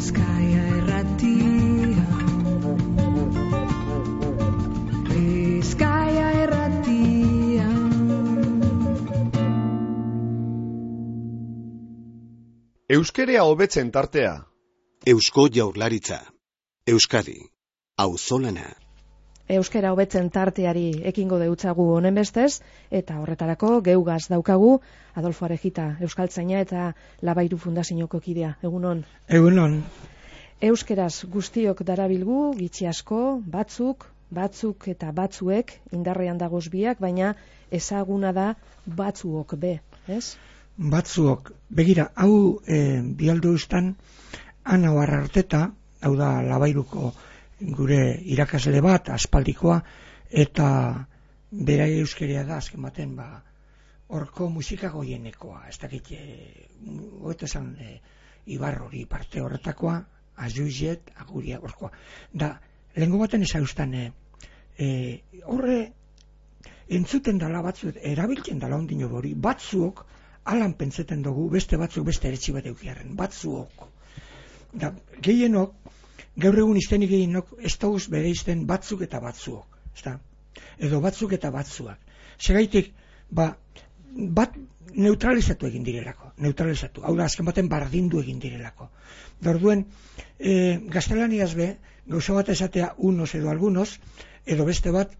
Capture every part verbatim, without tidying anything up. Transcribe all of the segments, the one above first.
Bizkaia irratia, Bizkaia irratia. Euskerea hobetzen tartea. Eusko Jaurlaritza. Euskadi. Auzolana. Euskera hobetzen tarteari ekingo deutzagu honen bestez, eta horretarako geugaz daukagu Adolfo Arejita, euskaltzaina eta Labairu Fundazioko kidea. Egunon. Egunon. Euskeraz guztiok darabilgu, gitxi asko, batzuk, batzuk eta batzuek indarrean dagoz biak, baina ezaguna da batzuok be, ez? Batzuok. Begira, hau e, bialdu ustan, Ana Ararteta, hau da Labairuko gure irakasle bat, aspaldikoa, eta bera euskeria da, azken baten, ba, horko musika goienekoa, ez dakit, e, hobeto esan, e, Ibar hori parte horretakoa, azuiet, aguria horkoa. Da, lehenko baten ezaustan, e, e, horre, entzuten dala batzuk, erabiltzen dala ondino hori, batzuok, alan pentseten dugu, beste batzuk, beste eretsi bat eukiaren, batzuok. Da, gehienok, gaur egun iztenik gehienok, ez dauz bere izten batzuk eta batzuok, ezta? Edo batzuk eta batzuak. Segaitik, ba, bat neutralizatu egin direlako, neutralizatu. Hau da, azken baten bardindu egin direlako. Da, orduen, e, gaztelaniaz be, gauza bat esatea unos edo algunos, edo beste bat,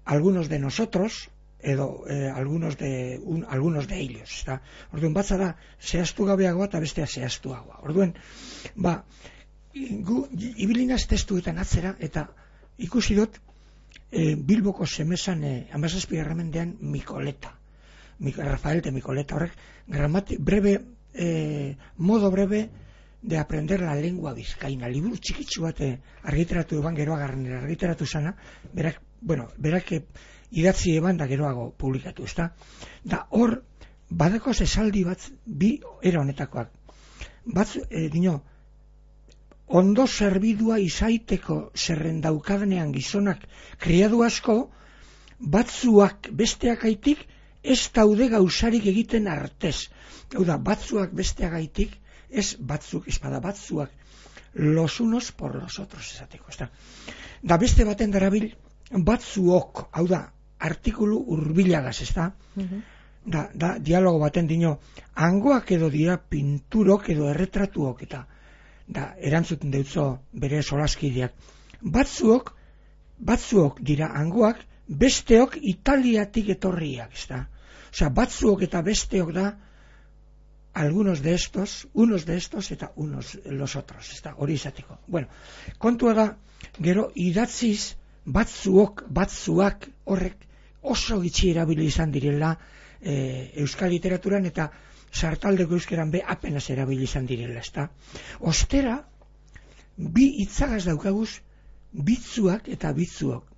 algunos de nosotros, edo eh, algunos de un, algunos de ellos, ezta? Orduen, batza da, zehaztu gabeagoa eta bestea zehaztuagoa. Orduen, ba, gu ibilinaz testuetan atzera, eta ikusi dut e, Bilboko Semezan e, amazazpigarren mendean Mikoleta, Mik, Rafael de Mikoleta, horrek gramati, breve, e, modo breve de aprender la lengua bizkaina, liburu txikitsu bat e, argitaratu eban geroagarren argitaratu zana, berak, bueno, berak e, idatzi eban da geroago publikatu, ezta? Da hor, badako esaldi bat, bi era honetakoak, bat, e, dino, ondo zerbidua izaiteko zerrendaukadenean gizonak kriadu asko, batzuak besteakaitik ez daude gauzarik egiten artez. Hau da, batzuak besteakaitik, ez batzuk, ez bada batzuak, los unos por los otros esateko. Ez da. Da beste baten darabil, batzuok, hau da, artikulu urbilagaz, ez da? Uh-huh. Da, da, dialogo baten dino, hangoak edo dira pinturok edo erretratuok, eta da, erantzuten deutzo bere solaskideak. Batzuok, batzuok dira hangoak, besteok Italiatik etorriak, ez da? Osea, batzuok eta besteok da, algunos de estos, unos de estos eta unos los otros, ez da? Hori izateko. Bueno, kontua da, gero idatziz, batzuok, batzuak horrek oso gitxi erabili izan direla e, euskal literaturan eta sartaldeko euskeran be apenas erabili izan direla, ezta? Ostera, bi hitzagaz daukaguz, bitzuak eta bitzuok.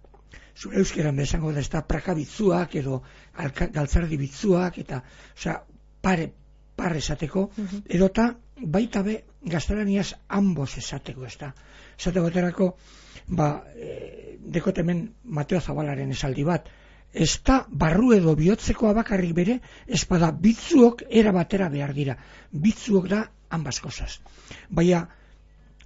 Zure euskeran be esango da, ezta, prakabitzuak edo alka, galtzardi bitzuak eta, osea, pare, pare esateko, uh-huh. Edota baita be gaztelaniaz ambos esateko, ezta? Esate baterako, ba, e, dekot hemen Mateo Zabalaren esaldi bat, ez da barru edo bihotzekoa bakarrik bere, ez bada bitzuok era batera behar dira. Bitzuok da ambas cosas. Baina,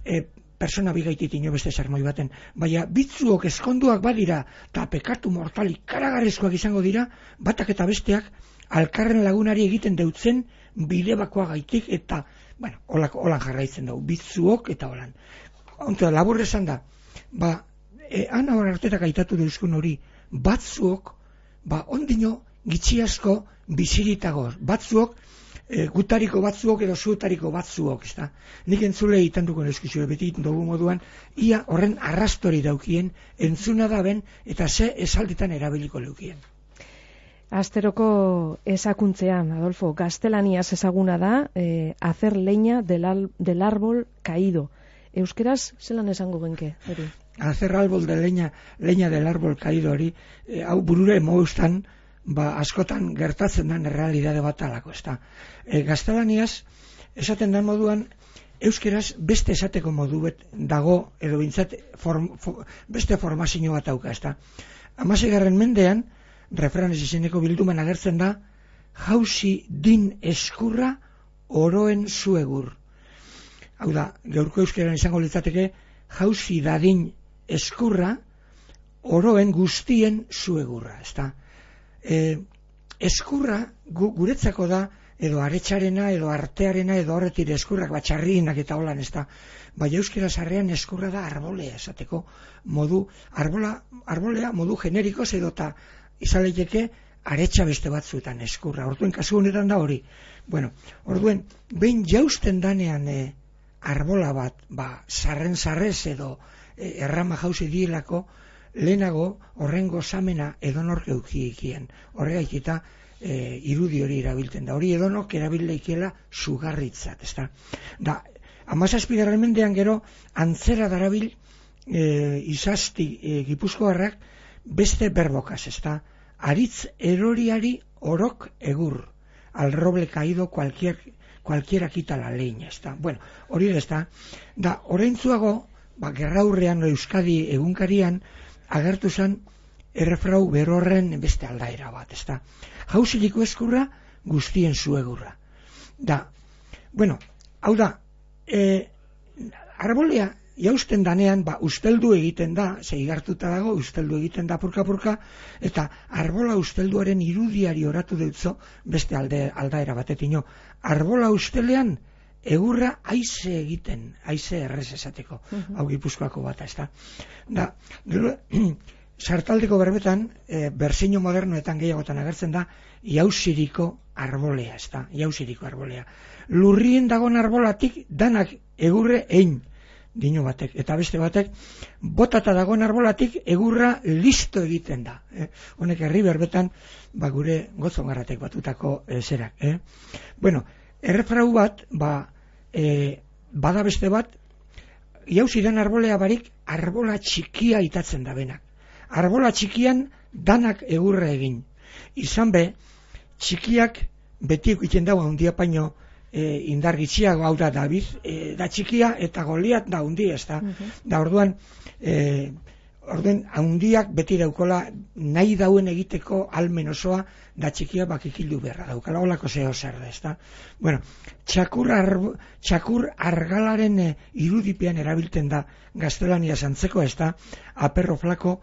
e, persona bigaitit ino beste sermoi baten, baina bitzuok eskonduak badira, eta pekatu mortalik karagarrizkoak izango dira, batak eta besteak, alkarren lagunari egiten deutzen bide bakoa gaitik, eta, bueno, holan, holan jarraitzen dugu, bitzuok eta holan. Onto, labur esan da, ba, e, Ana Arartetak aitatu deuzkun hori, batzuok, ba, ondino gitxi asko biziritagoz, batzuok, e, gutariko batzuok edo zutariko batzuok, ezta? Nik entzule itanduko neskizio, beti dugu moduan, ia horren arrastori daukien, entzuna da ben, eta ze esalditan erabiliko leukien. Asteroko ezakuntzean, Adolfo, gaztelaniaz ezaguna da, eh, hacer leña del, al, del árbol caído. Euskeraz, zelan esango genke, hori? Hacer árbol de leña, leña del árbol caído hori, e, hau burure moustan, ba, askotan gertatzen den errealidade bat alako, ezta. E, gaztelaniaz, esaten den moduan, euskeraz beste esateko modu bet dago, edo bintzat, form, for, beste formazio bat auka, ezta. Hamaseigarren mendean, refranes izeneko bilduman agertzen da, jauzi din eskurra oroen zuegur. hau da, gaurko euskeran izango litzateke, jauzi dadin eskurra, oroen guztien zuegurra, ezta. E, eskurra gu, guretzako da, edo aretxarena, edo artearena, edo horretir eskurrak, batxarrinak eta holan, ezta. Bai, euskera sarrean eskurra da arbolea, esateko modu, arbola, arbolea modu generikoz edo eta izaleiteke aretxa beste batzuetan eskurra. Orduen kasu honetan da hori. Bueno, orduen, behin jausten danean e, arbola bat, ba, sarren sarrez edo e, errama jauzi dielako, lehenago horren gozamena edonork eukikien. Horregaik eta e, irudi hori erabiltzen da. Hori edonok erabilleikiela sugarritzat, ezta. Da, hamazazpigarren mendean gero antzera darabil e, izasti e, gipuzkoarrak beste berbokaz, ezta. Aritz eroriari orok egur. Al roble caído cualquier, cualquiera quita la leña, ezta. Bueno, hori da, ezta. Da, oraintzuago, ba, gerraurrean Euskadi egunkarian agertu zen errefrau berorren beste aldaera bat, ezta. Jauziliko eskurra guztien zuegurra. Da, bueno, hau da, e, arbolea jausten danean, ba, usteldu egiten da, zeigartuta dago, usteldu egiten da purka-purka, eta arbola ustelduaren irudiari oratu deutzo beste alde, aldaera batetino. Arbola ustelean egurra haize egiten, haize errez esateko, uh-huh. Hau Gipuzkoako bata, ezta. Da, gero, sartaldeko berbetan, e, berseino modernoetan gehiagotan agertzen da, jauziriko arbolea, ezta, jauziriko arbolea. Lurrien dagon arbolatik danak egurre ein, dino batek, eta beste batek, botata dagoen arbolatik egurra listo egiten da. Eh? Honek herri berbetan, ba, gure gotzongarratek batutako e, zerak. Eh? Bueno, errefrau bat, ba, e, bada beste bat, jauzidan arbolea barik, arbola txikia itatzen da benak. Arbola txikian danak egurra egin. Izan be, txikiak beti ikusten dago handia paino e, indar gitxiago, hau da David, e, da txikia eta Goliat da hundi, ez da. Uh-huh. Da orduan, e, orduan handiak beti daukola nahi dauen egiteko almen osoa, da txikia bakikildu beharra daukala, holako zeo zer da, ez da. Bueno, txakur, arbo, txakur argalaren e, irudipean erabiltzen da gaztelania zantzeko, ez da, aperro flako,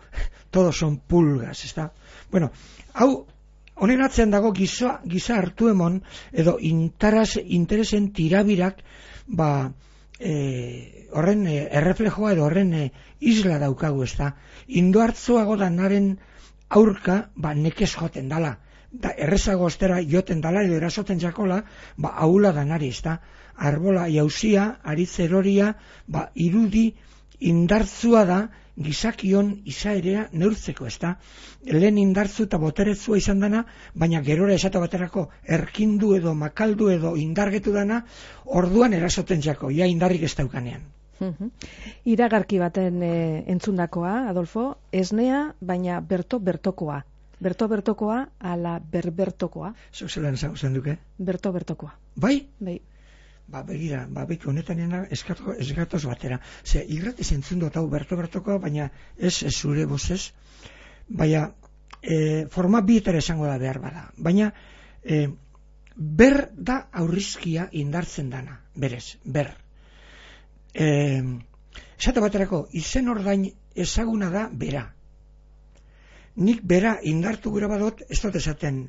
todos son pulgas, ez da. Bueno, hau, honen atzean dago giza, giza hartu emon, edo intaraz, interesen tirabirak, ba, e, horren e, erreflejoa edo horren e, isla daukagu, ez da. Indo hartzoago danaren aurka, ba, nekez joten dala. Da, errezago ostera joten dala edo erasoten jakola, ba, aula danari, ez da. Arbola jauzia, aritz eroria, ba, irudi indartzua da, gizakion izaerea neurtzeko, ez da. Lehen indartzu eta boteretzua izan dana, baina gerora esate baterako erkindu edo makaldu edo indargetu dana, orduan erasoten jako, ja indarrik ez daukanean. Uh-huh. Iragarki baten e, entzundakoa, Adolfo, esnea, baina berto-bertokoa. Berto-bertokoa ala berbertokoa. Zuk zelan zen duke? Berto-bertokoa. Bai? Bai. Ba, begira, ba, beki honetan eskatoz batera. Ze, irratiz entzun dut hau berto-bertokoa, baina ez, ez zure bozez. Baina, e, forma bietara esango da behar bada. Baina, e, ber da aurrizkia indartzen dana, berez, ber. E, esate baterako, izen ordain ezaguna da bera. Nik bera indartu gura badot, ez dut esaten,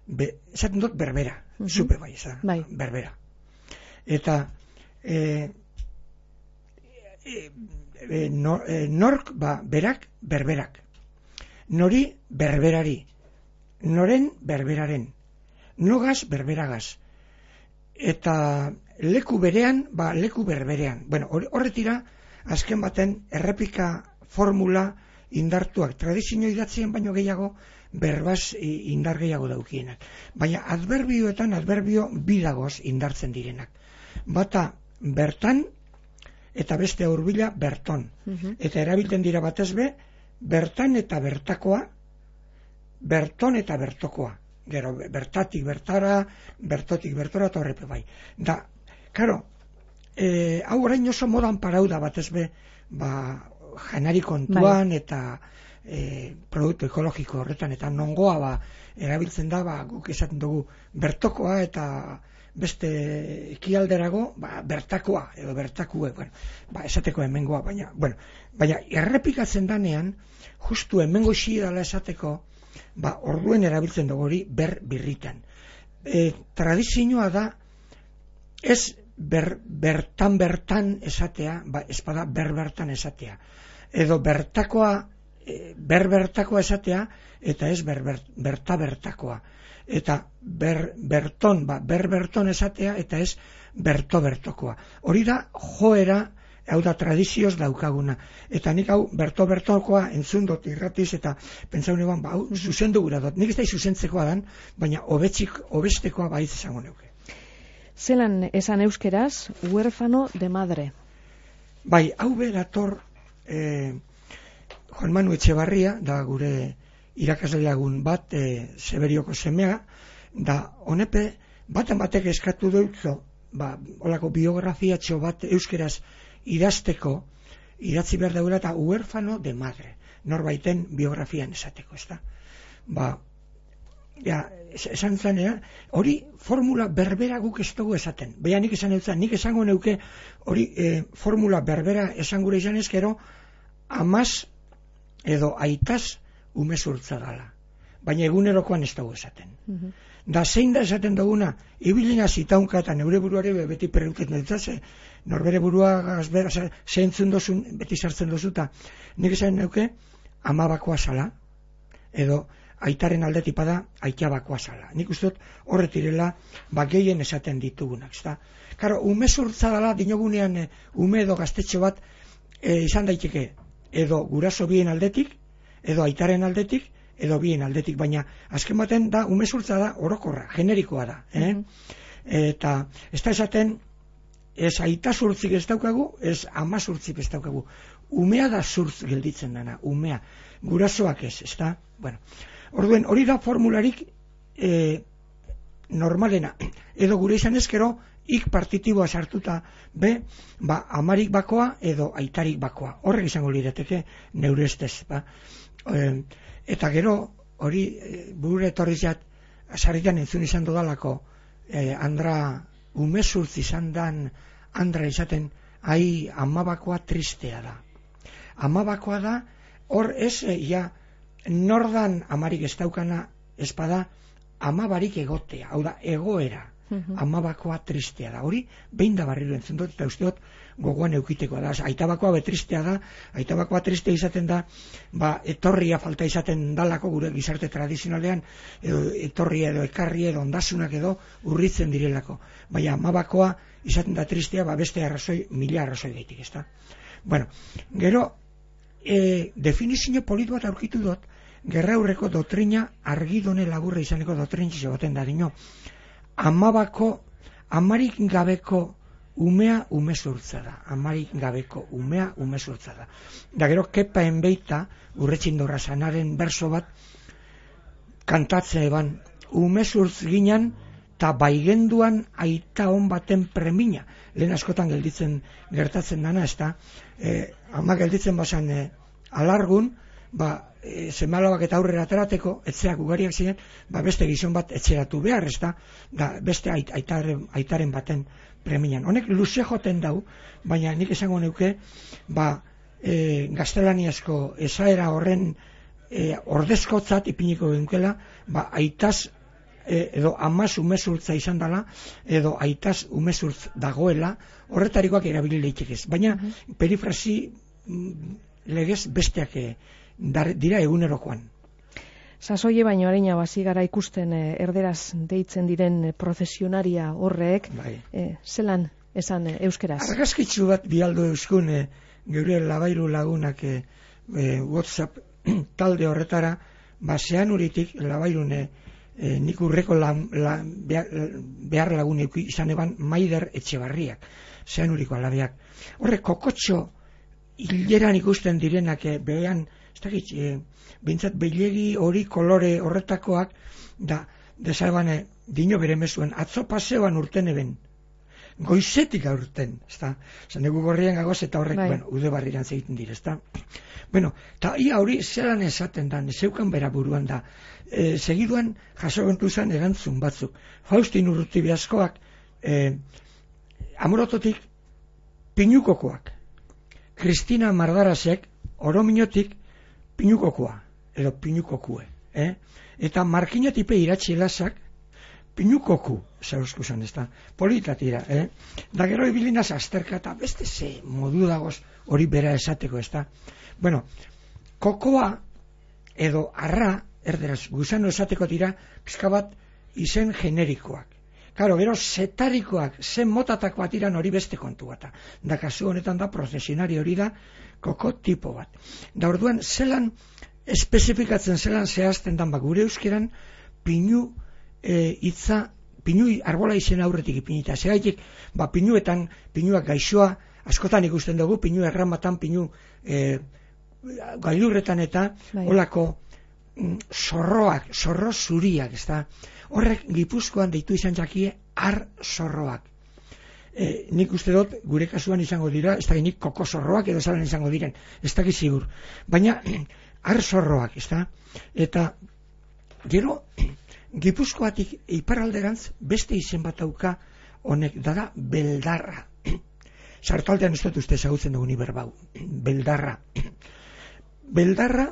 be, esaten dut berbera, uh-huh. Zupe bai, esaten, bai. Berbera. Eta e, e, e, nor, e, nork, ba, berak, berberak. Nori, berberari. Noren, berberaren. Nogaz, berberagaz. Eta leku berean, ba, leku berberean. Bueno, horretira, azken baten, errepika formula indartuak. Tradizio idatzien baino gehiago, berbaz indar gehiago daukienak. Baina adverbioetan, adverbio bidagoz indartzen direnak. Bata bertan eta beste hurbila berton. Uh-huh. Eta erabiltzen dira batez be, bertan eta bertakoa, berton eta bertokoa. Gero, bertatik bertara, bertotik bertora eta horrepe bai. Da, karo, e, hau orain oso modan parau da batez be, ba, janari kontuan bai. Eta e, produktu ekologiko horretan, eta nongoa ba, erabiltzen da, ba, guk esaten dugu bertokoa eta beste ekialderago, ba, bertakoa, edo bertakue, bueno, ba, esateko hemengoa, baina, bueno, baina errepikatzen danean, justu hemengo xi dala esateko, ba, orduen erabiltzen dugu hori ber birritan. E, tradizioa da, ez ber, bertan bertan esatea, ba, espada ber bertan esatea, edo bertakoa, e, ber bertakoa esatea, eta ez ber, ber, berta bertakoa. Eta ber, berton, ba, ber berton esatea, eta ez berto bertokoa. Hori da joera, hau da tradizioz daukaguna. Eta nik hau berto bertokoa entzun dut irratiz, eta pentsaune ban, ba, hau zuzendu gura dut. Nik ez da zuzentzekoa dan, baina hobetzik, hobestekoa baiz esango neuke. Zelan esan euskeraz, huérfano de madre. Bai, hau berator eh, Juan Manu Etxebarria, da gure irakasleagun bat, e, Severioko semea, da honepe baten batek eskatu dutzo, ba, olako biografiatxo bat euskeraz idazteko, idatzi behar daura eta huérfano de madre, norbaiten biografian esateko, ez da? Ba, ja, esan zanea, hori formula berbera guk ez dugu esaten. Baina nik esan eutzen, nik esango neuke hori e, formula berbera esan gure izan ezkero, amaz edo aitaz umezurtza dala. Baina egunerokoan ez dugu esaten. Mm-hmm. Da zein da esaten duguna, ibilina zitaunka eta neure buruare beti perreuket netzaze, norbere burua gazbera, zeintzun dozun, beti sartzen dozuta. Nik esan neuke, amabakoa zala, edo aitaren aldetipada aitabakoa zala. Nik uste dut horretirela ba gehien esaten ditugunak, ezta? Karo, umezurtza dala dinogunean e, ume edo gaztetxo bat e, izan daiteke edo guraso bien aldetik, edo aitaren aldetik, edo bien aldetik, baina azken baten da umezurtza da orokorra, generikoa da, eh? Mm-hmm. Eta ez da esaten ez aita zurtzik ez daukagu, ez ama zurtzik ez daukagu. Umea da zurtz gelditzen dana, umea. Gurasoak ez, ez da? Bueno, orduen, hori da formularik e, normalena. Edo gure izan ezkero, ik partitiboa sartuta be, ba, amarik bakoa edo aitarik bakoa. Horrek izango lirateke neure estez, ba. E, eta gero, hori e, burure etorrizat, sarritan entzun izan dudalako, e, andra, umezurtz izan dan, andra izaten, ai, amabakoa tristea da. Amabakoa da, hor ez, e, ja, nordan amarik ez daukana espada, amabarik egotea, hau da, egoera, uh-huh. Amabakoa tristea da. Hori, behin da barriro entzun dut, eta uste dut, gogoan eukitekoa da. Aitabakoa betristea da, aitabakoa tristea izaten da, ba, etorria falta izaten dalako gure gizarte tradizionalean, edo etorria edo ekarria edo ondasunak edo urritzen direlako. Baina, amabakoa izaten da tristea, ba, beste arrazoi, mila arrazoi gaitik, ezta? Bueno, gero, e, definizio polit bat aurkitu dut, gerra aurreko dotrina argidone laburra izaneko dotrintxo baten da dino. Amabako, amarik gabeko umea umezurtza da. Amarik gabeko umea umezurtza da. Da gero, kepa enbeita, urretxindorra sanaren berso bat, kantatze eban, umezurtz ginen, eta baigenduan aita hon baten premina. Lehen askotan gelditzen gertatzen dana, ez da, e, ama gelditzen bazan e, alargun, ba, e, semalabak eta aurrera aterateko, etxeak ugariak ziren, ba, beste gizon bat etxeratu behar, ez da, da beste ait, aitaren, aitaren baten preminan. Honek luze joten dau, baina nik esango neuke, ba, e, gaztelaniazko esaera horren e, ordezkotzat ipiniko genkela, ba, aitaz edo amaz umezurtza izan dela, edo aitaz umezurtz dagoela, horretarikoak erabili leitekez. Baina, uh-huh. perifrasi legez besteak dar, dira egunerokoan. Sasoie baino areina hasi gara ikusten eh, erderaz deitzen diren prozesionaria horrek, bai. eh, zelan esan eh, euskeraz? Argazkitzu bat bialdo euskun eh, geure labairu lagunak eh, eh, WhatsApp talde horretara, basean uritik labairune E, nik urreko la, la, behar, behar lagun izan eban Maider Etxebarriak, zean uriko alabeak. Horre, kokotxo hileran ikusten direnak e, behan, ez dakit, e, bintzat bilegi hori kolore horretakoak, da, desaban, e, dino bere mezuen, atzo paseoan urten eben, goizetik aurten, ez da, zan dugu gorrian gagoz eta horrek, bai. Bueno, ude barriran zegiten dire, ez da. Bueno, eta ia hori zelan esaten da, zeukan bera buruan da, e, segiduan jaso gontu zen erantzun batzuk. Faustin Urruti Biaskoak eh, Amorototik pinukokoak, Kristina Mardarasek orominotik pinukokoa, edo pinukokue, eh? Eta Markinatipe iratxielasak pinukoku, zauzkuzan, ez da, politatira, eh? Da gero ibilinaz azterka eta beste ze modu dagoz hori bera esateko, ez da. Bueno, kokoa edo arra, erderaz, gusano esateko dira, pizka bat izen generikoak. Karo, gero zetarikoak, zen motatakoa tiran hori beste kontu bat. Da kasu honetan da, prozesionari hori da, koko tipo bat. Da orduan, zelan espezifikatzen, zelan zehazten dan, ba, gure euskeran, pinu e, itza, pinu arbola izen aurretik ipinita. Zegaitik, ba, pinuetan, pinuak gaixoa, askotan ikusten dugu, pinu erramatan, pinu e, gailurretan eta, bai. Olako mm, zorroak, zorro zuriak, ez da. Horrek Gipuzkoan deitu izan jakie ar zorroak. E, nik uste dut, gure kasuan izango dira, ez da nik koko zorroak edo zalan izango diren, ez da zigur. Baina, ar zorroak, ez da. Eta, gero, Gipuzkoatik iparalderantz beste izen bat dauka honek, dada beldarra. Sartaldean ez dut uste ezagutzen dugu ni berbau. Beldarra. Beldarra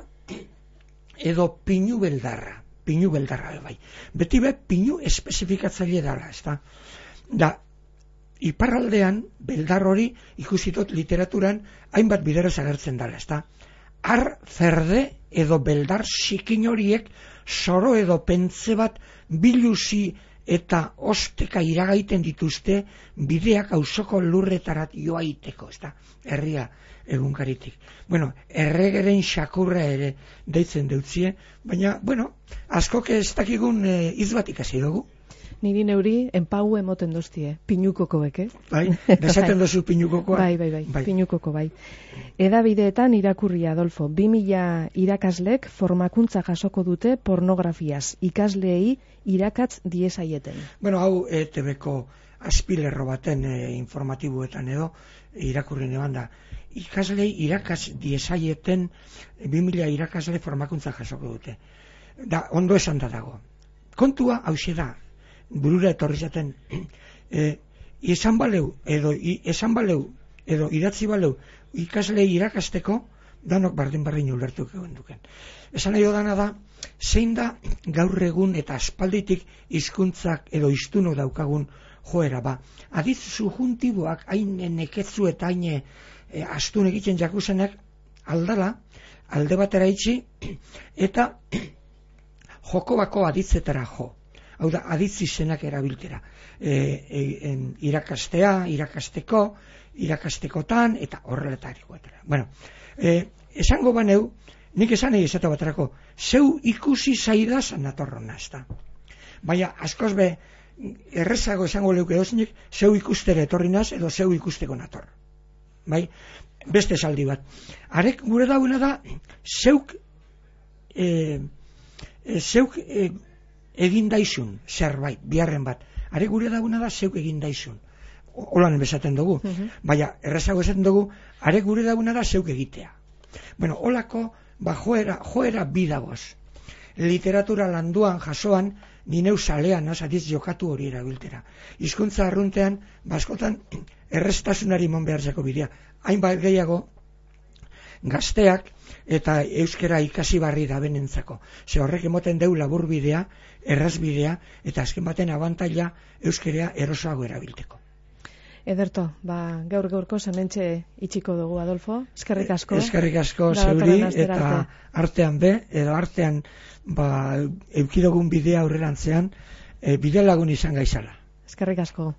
edo pinu beldarra. Pinu beldarra, bai. Beti be, pinu espezifikatzaile dara, ez da. Da, iparraldean, beldar hori, ikusitot literaturan, hainbat bideraz agertzen dara, ez da. Ar zerde edo beldar sikin horiek, zoro edo pentze bat biluzi eta osteka iragaiten dituzte bideak auzoko lurretarat joaiteko, ez da. Herria egunkaritik. Bueno, erregeren xakurra ere deitzen deutzie, baina, bueno, askok ez dakigun e, izbat ikasi dugu. Niri neuri enpau emoten doztie, pinukokoek, eh? Bai, desaten dozu pinukokoa. Bai, bai, bai, bai, pinukoko, bai. Edabideetan irakurri, Adolfo, bi mila irakaslek formakuntza jasoko dute pornografiaz, ikasleei irakatz diezaieten. Bueno, hau E T B-ko azpilerro baten e, informatiboetan edo irakurri neban da. Ikaslei irakatz diezaieten bi mila irakasle formakuntza jasoko dute. Da, ondo esan da dago. Kontua hauxe da, burura etorri zaten, e, esan baleu, edo i, esan baleu, edo idatzi baleu, ikaslei irakasteko, danok bardin-bardin ulertuk egon duken. Esan nahi dana da, zein da gaur egun eta aspalditik hizkuntzak edo hiztunok daukagun joera ba. Aditz subjuntiboak hain neketzu eta hain e, astun egiten jakusenak aldala, alde batera itxi, eta joko bako aditzetara jo. Hau da, aditz izenak erabiltera. E, e, en, irakastea, irakasteko, irakastekotan, eta horreletariko. Bueno, e, esango baneu, nik esan egin esate baterako, zeu ikusi zaidaz natorrona, ez da. Baina, askoz be, errezago esango leuke dozinik, zeu ikustere etorri naz, edo zeu ikusteko nator. Bai, beste esaldi bat. Arek gure dauna da, zeuk, e, e, zeuk e, egin daizun, zerbait, biharren bat. Arek gure dauna da, zeuk egin daizun. Holan bezaten dugu. Uh-huh. Baina, errezago esaten dugu, arek gure dauna da, zeuk egitea. Bueno, holako, ba, joera, joera bidagoz. Literatura landuan, jasoan, nineu salean, azatiz jokatu hori erabiltera. Hizkuntza arruntean, baskotan, errestasunari mon behartzeko bidea. Hainbat gehiago, gazteak eta euskera ikasi barri da benentzako. Ze horrek emoten deu labur bidea, erraz bidea, eta azken baten abantaila euskera erosoago erabilteko. Ederto, ba, gaur gaurko hementxe itxiko dugu, Adolfo. Eskerrik asko. Eskerrik asko zeuri, eta artean be, edo artean ba, eukidogun bidea aurrerantzean, e, bide lagun izan gaizala. Eskerrik asko.